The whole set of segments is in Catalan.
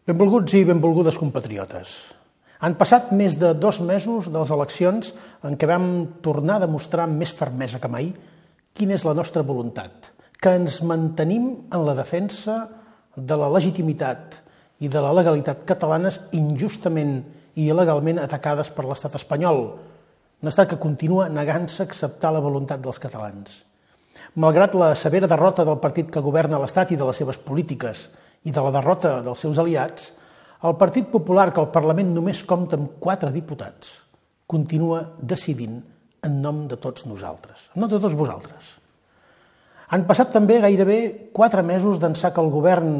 Benvolguts i benvolgudes compatriotes. Han passat més de 2 mesos de les eleccions en què vam tornar a demostrar amb més fermesa que mai quina és la nostra voluntat, que ens mantenim en la defensa de la legitimitat i de la legalitat catalanes injustament i il·legalment atacades per l'estat espanyol, un estat que continua negant-se a acceptar la voluntat dels catalans. Malgrat la severa derrota del partit que governa l'Estat i de les seves polítiques i de la derrota dels seus aliats, el Partit Popular, que al Parlament només compta amb 4 diputats, continua decidint en nom de tots nosaltres, en nom de tots vosaltres. Han passat també gairebé 4 mesos d'ençà que el govern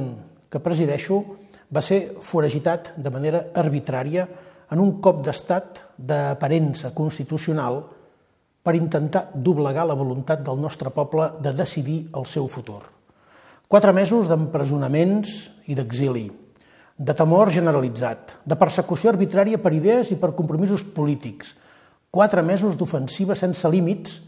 que presideixo va ser foragitat de manera arbitrària en un cop d'estat d'aparença constitucional per intentar doblegar la voluntat del nostre poble de decidir el seu futur. 4 mesos d'empresonaments i d'exili, de temor generalitzat, de persecució arbitrària per idees i per compromisos polítics, 4 mesos d'ofensiva sense límits,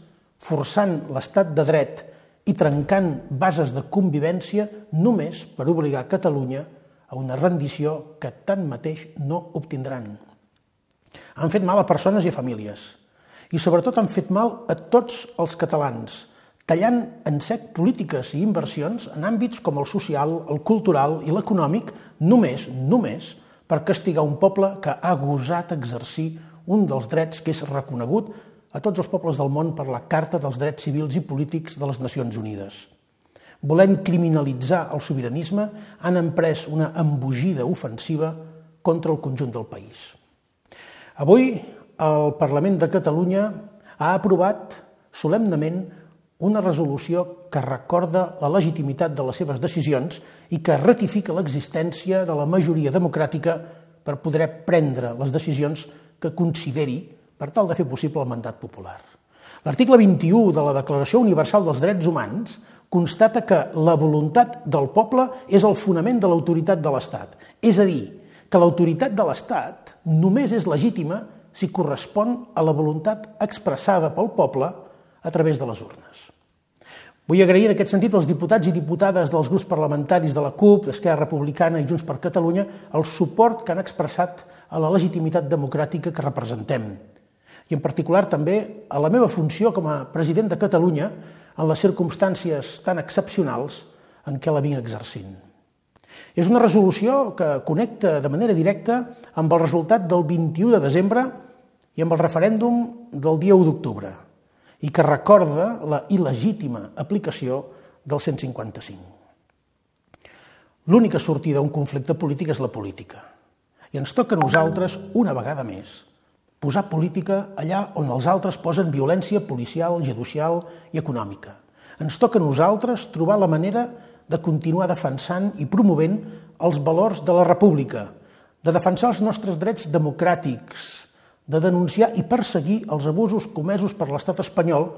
forçant l'estat de dret i trencant bases de convivència només per obligar Catalunya a una rendició que tanmateix no obtindran. Han fet mal a persones i a famílies, i sobretot han fet mal a tots els catalans, tallant en sec polítiques i inversions en àmbits com el social, el cultural i l'econòmic, només per castigar un poble que ha gosat exercir un dels drets que és reconegut a tots els pobles del món per la Carta dels Drets Civils i Polítics de les Nacions Unides. Volent criminalitzar el sobiranisme, han emprès una embogida ofensiva contra el conjunt del país. Avui, el Parlament de Catalunya ha aprovat solemnement una resolució que recorda la legitimitat de les seves decisions i que ratifica l'existència de la majoria democràtica per poder prendre les decisions que consideri per tal de fer possible el mandat popular. L'article 21 de la Declaració Universal dels Drets Humans constata que la voluntat del poble és el fonament de l'autoritat de l'Estat. És a dir, que l'autoritat de l'Estat només és legítima si correspon a la voluntat expressada pel poble a través de les urnes. Vull agrair en aquest sentit als diputats i diputades dels grups parlamentaris de la CUP, d'Esquerra Republicana i Junts per Catalunya el suport que han expressat a la legitimitat democràtica que representem i en particular també a la meva funció com a president de Catalunya en les circumstàncies tan excepcionals en què la vinc exercint. És una resolució que connecta de manera directa amb el resultat del 21 de desembre i amb el referèndum del dia 1 d'octubre i que recorda la il·legítima aplicació del 155. L'única sortida a un conflicte polític és la política. I ens toca a nosaltres, una vegada més, posar política allà on els altres posen violència policial, judicial i econòmica. Ens toca a nosaltres trobar la manera de continuar defensant i promovent els valors de la república, de defensar els nostres drets democràtics, de denunciar i perseguir els abusos comesos per l'estat espanyol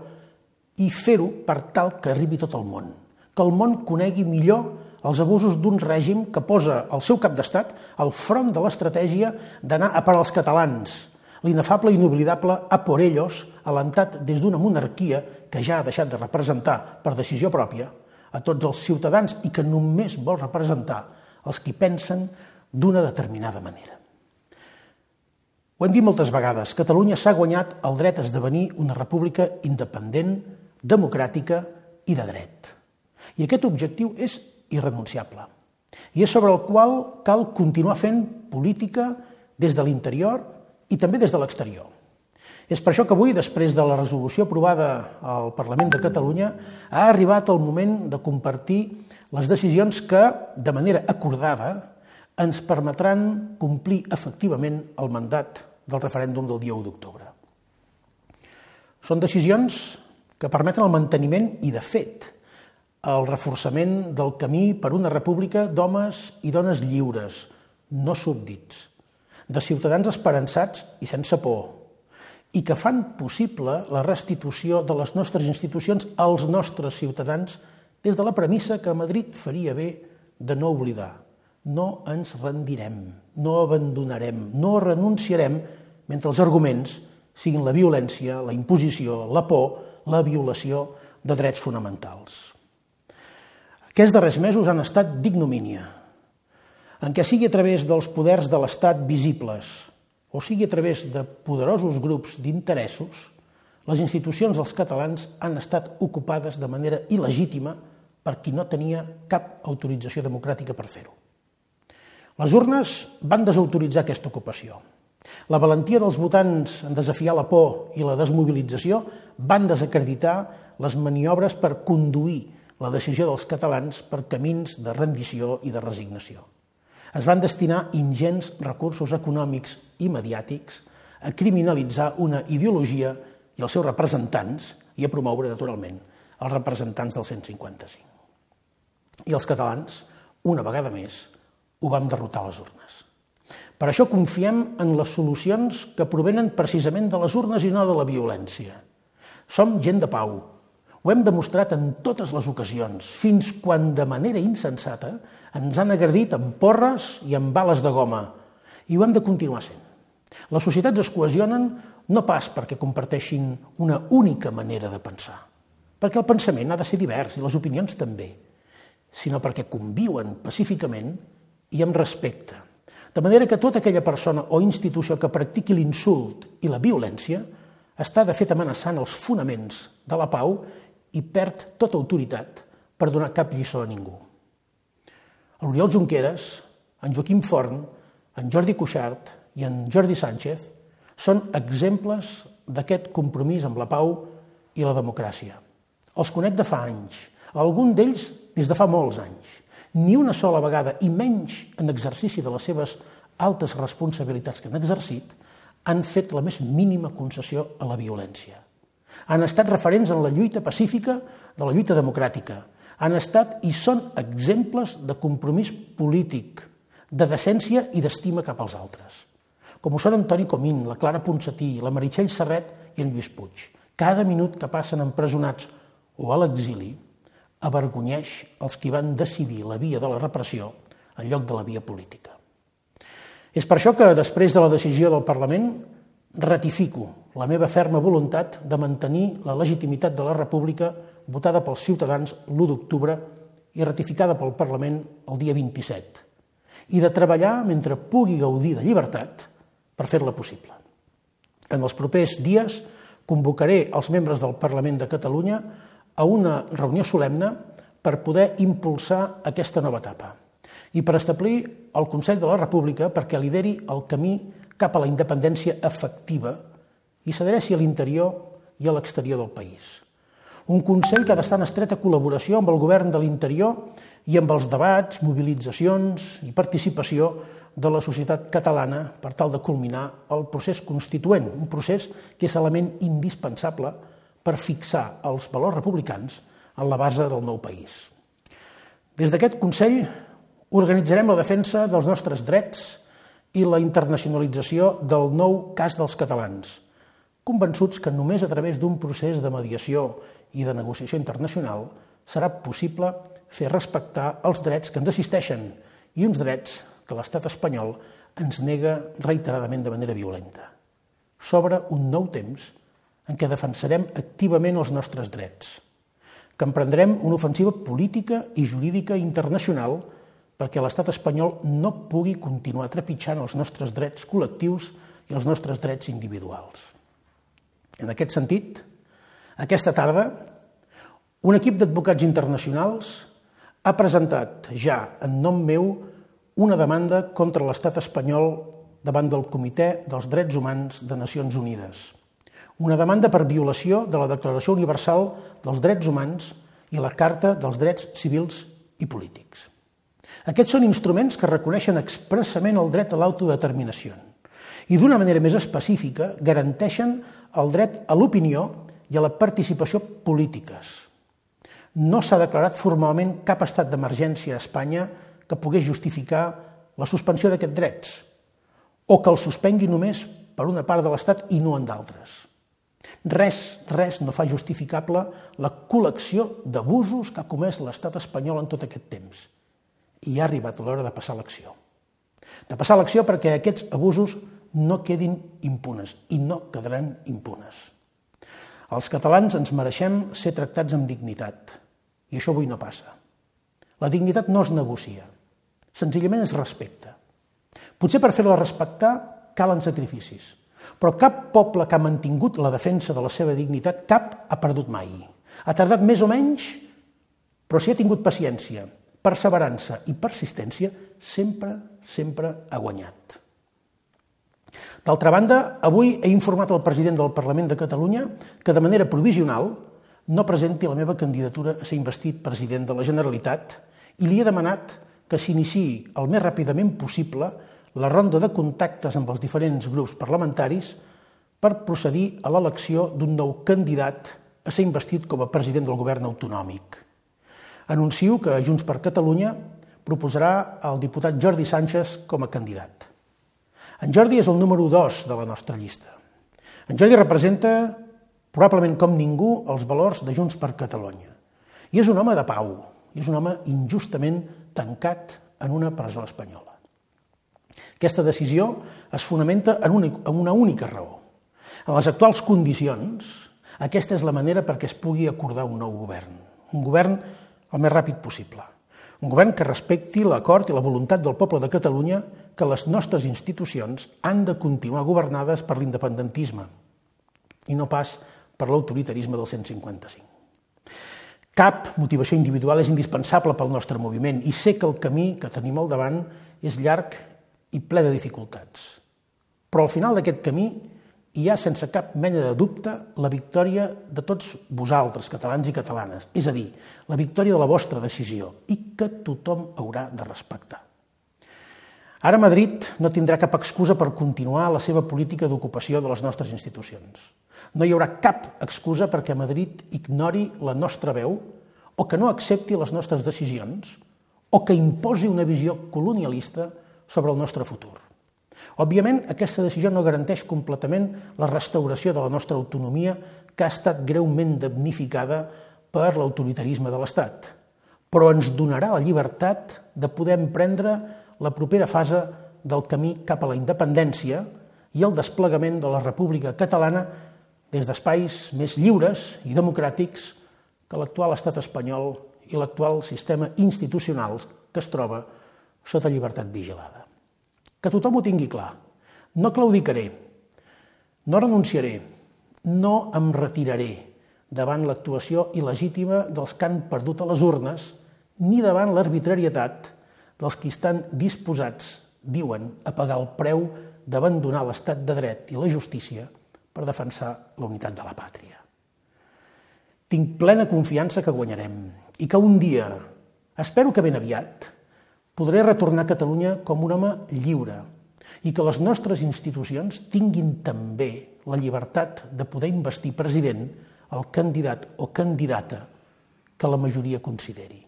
i fer-ho per tal que arribi tot el món. Que el món conegui millor els abusos d'un règim que posa el seu cap d'estat al front de l'estratègia d'anar a per als catalans, l'inefable i inoblidable a por ellos, alentat des d'una monarquia que ja ha deixat de representar per decisió pròpia a tots els ciutadans i que només vol representar els qui pensen d'una determinada manera. Ho hem dit moltes vegades, Catalunya s'ha guanyat el dret a esdevenir una república independent, democràtica i de dret. I aquest objectiu és irrenunciable. I és sobre el qual cal continuar fent política des de l'interior i també des de l'exterior. És per això que avui, després de la resolució aprovada al Parlament de Catalunya, ha arribat el moment de compartir les decisions que, de manera acordada, ens permetran complir efectivament el mandat del referèndum del dia 1 d'octubre. Són decisions que permeten el manteniment i, de fet, el reforçament del camí per una república d'homes i dones lliures, no súbdits, de ciutadans esperançats i sense por, i que fan possible la restitució de les nostres institucions als nostres ciutadans des de la premissa que Madrid faria bé de no oblidar. No ens rendirem, no abandonarem, no renunciarem mentre els arguments siguin la violència, la imposició, la por, la violació de drets fonamentals. Aquests darrers mesos han estat d'ignomínia. en què sigui a través dels poders de l'Estat visibles o sigui a través de poderosos grups d'interessos, les institucions dels catalans han estat ocupades de manera il·legítima per qui no tenia cap autorització democràtica per fer-ho. Les urnes van desautoritzar aquesta ocupació. La valentia dels votants en desafiar la por i la desmobilització van desacreditar les maniobres per conduir la decisió dels catalans per camins de rendició i de resignació. Es van destinar ingents recursos econòmics i mediàtics a criminalitzar una ideologia i els seus representants i a promoure, naturalment, els representants del 155. I els catalans, una vegada més, ho vam derrotar a les urnes. Per això confiem en les solucions que provenen precisament de les urnes i no de la violència. Som gent de pau. Ho hem demostrat en totes les ocasions, fins quan de manera insensata ens han agredit amb porres i amb bales de goma. I ho hem de continuar sent. Les societats es cohesionen no pas perquè comparteixin una única manera de pensar, perquè el pensament ha de ser divers i les opinions també, sinó perquè conviuen pacíficament i amb respecte. De manera que tota aquella persona o institució que practiqui l'insult i la violència està de fet amenaçant els fonaments de la pau i perd tota autoritat per donar cap lliçó a ningú. L'Oriol Junqueras, en Joaquim Forn, en Jordi Cuixart i en Jordi Sánchez són exemples d'aquest compromís amb la pau i la democràcia. Els conec de fa anys, algun d'ells des de fa molts anys. Ni una sola vegada, i menys en exercici de les seves altes responsabilitats que han exercit, han fet la més mínima concessió a la violència. Han estat referents en la lluita pacífica de la lluita democràtica. Han estat i són exemples de compromís polític, de decència i d'estima cap als altres. Com ho són Antoni Comín, la Clara Ponsatí, la Meritxell Serret i en Lluís Puig. Cada minut que passen empresonats o a l'exili avergonyeix els qui van decidir la via de la repressió en lloc de la via política. És per això que, després de la decisió del Parlament, ratifico la meva ferma voluntat de mantenir la legitimitat de la República votada pels ciutadans l'1 d'octubre i ratificada pel Parlament el dia 27, i de treballar mentre pugui gaudir de llibertat per fer-la possible. En els propers dies convocaré els membres del Parlament de Catalunya a una reunió solemne per poder impulsar aquesta nova etapa i per establir el Consell de la República perquè lideri el camí cap a la independència efectiva i s'adreci a l'interior i a l'exterior del país. Un Consell que ha d'estar en estreta col·laboració amb el govern de l'interior i amb els debats, mobilitzacions i participació de la societat catalana per tal de culminar el procés constituent, un procés que és element indispensable per fixar els valors republicans en la base del nou país. Des d'aquest Consell organitzarem la defensa dels nostres drets i la internacionalització del nou cas dels catalans, convençuts que només a través d'un procés de mediació i de negociació internacional serà possible fer respectar els drets que ens assisteixen i uns drets que l'estat espanyol ens nega reiteradament de manera violenta. S'obre un nou temps en què defensarem activament els nostres drets, que emprendrem una ofensiva política i jurídica internacional perquè l'estat espanyol no pugui continuar trepitjant els nostres drets col·lectius i els nostres drets individuals. En aquest sentit, aquesta tarda, un equip d'advocats internacionals ha presentat ja en nom meu una demanda contra l'estat espanyol davant del Comitè dels Drets Humans de Nacions Unides. Una demanda per violació de la Declaració Universal dels Drets Humans i la Carta dels Drets Civils i Polítics. Aquests són instruments que reconeixen expressament el dret a l'autodeterminació i d'una manera més específica garanteixen el dret a l'opinió i a la participació polítiques. No s'ha declarat formalment cap estat d'emergència a Espanya que pogués justificar la suspensió d'aquests drets o que el suspengui només per una part de l'Estat i no en d'altres. Res no fa justificable la col·lecció d'abusos que ha comès l'estat espanyol en tot aquest temps. I ha arribat l'hora de passar l'acció. De passar l'acció perquè aquests abusos no quedin impunes i no quedaran impunes. Els catalans ens mereixem ser tractats amb dignitat i això avui no passa. La dignitat no es negocia. Senzillament és respecte. Potser per fer-la respectar calen sacrificis, però cap poble que ha mantingut la defensa de la seva dignitat, cap ha perdut mai. Ha tardat més o menys, però si ha tingut paciència, perseverança i persistència, sempre ha guanyat. D'altra banda, avui he informat el president del Parlament de Catalunya que de manera provisional no presenti la meva candidatura a ser investit president de la Generalitat i li he demanat que s'iniciï el més ràpidament possible la ronda de contactes amb els diferents grups parlamentaris per procedir a l'elecció d'un nou candidat a ser investit com a president del govern autonòmic. Anuncio que Junts per Catalunya proposarà el diputat Jordi Sànchez com a candidat. En Jordi és el número 2 de la nostra llista. En Jordi representa, probablement com ningú, els valors de Junts per Catalunya. I és un home de pau, i és un home injustament tancat en una presó espanyola. Aquesta decisió es fonamenta en una única raó. En les actuals condicions, aquesta és la manera perquè es pugui acordar un nou govern. Un govern el més ràpid possible. Un govern que respecti l'acord i la voluntat del poble de Catalunya que les nostres institucions han de continuar governades per l'independentisme i no pas per l'autoritarisme del 155. Cap motivació individual és indispensable pel nostre moviment i sé que el camí que tenim al davant és llarg i ple de dificultats. Però al final d'aquest camí hi ha sense cap mena de dubte la victòria de tots vosaltres, catalans i catalanes, és a dir, la victòria de la vostra decisió i que tothom haurà de respectar. Ara Madrid no tindrà cap excusa per continuar la seva política d'ocupació de les nostres institucions. No hi haurà cap excusa perquè Madrid ignori la nostra veu o que no accepti les nostres decisions o que imposi una visió colonialista sobre el nostre futur. Òbviament, aquesta decisió no garanteix completament la restauració de la nostra autonomia que ha estat greument damnificada per l'autoritarisme de l'Estat, però ens donarà la llibertat de poder emprendre la propera fase del camí cap a la independència i el desplegament de la República Catalana des d'espais més lliures i democràtics que l'actual estat espanyol i l'actual sistema institucional que es troba sota llibertat vigilada. Que tothom ho tingui clar. No claudicaré, no renunciaré, no em retiraré davant l'actuació il·legítima dels que han perdut a les urnes ni davant l'arbitrarietat dels qui estan disposats, diuen, a pagar el preu d'abandonar l'estat de dret i la justícia per defensar la unitat de la pàtria. Tinc plena confiança que guanyarem i que un dia, espero que ben aviat, podré retornar a Catalunya com un home lliure i que les nostres institucions tinguin també la llibertat de poder investir president el candidat o candidata que la majoria consideri.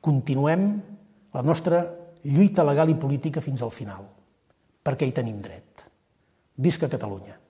Continuem la nostra lluita legal i política fins al final, perquè hi tenim dret. Visca Catalunya!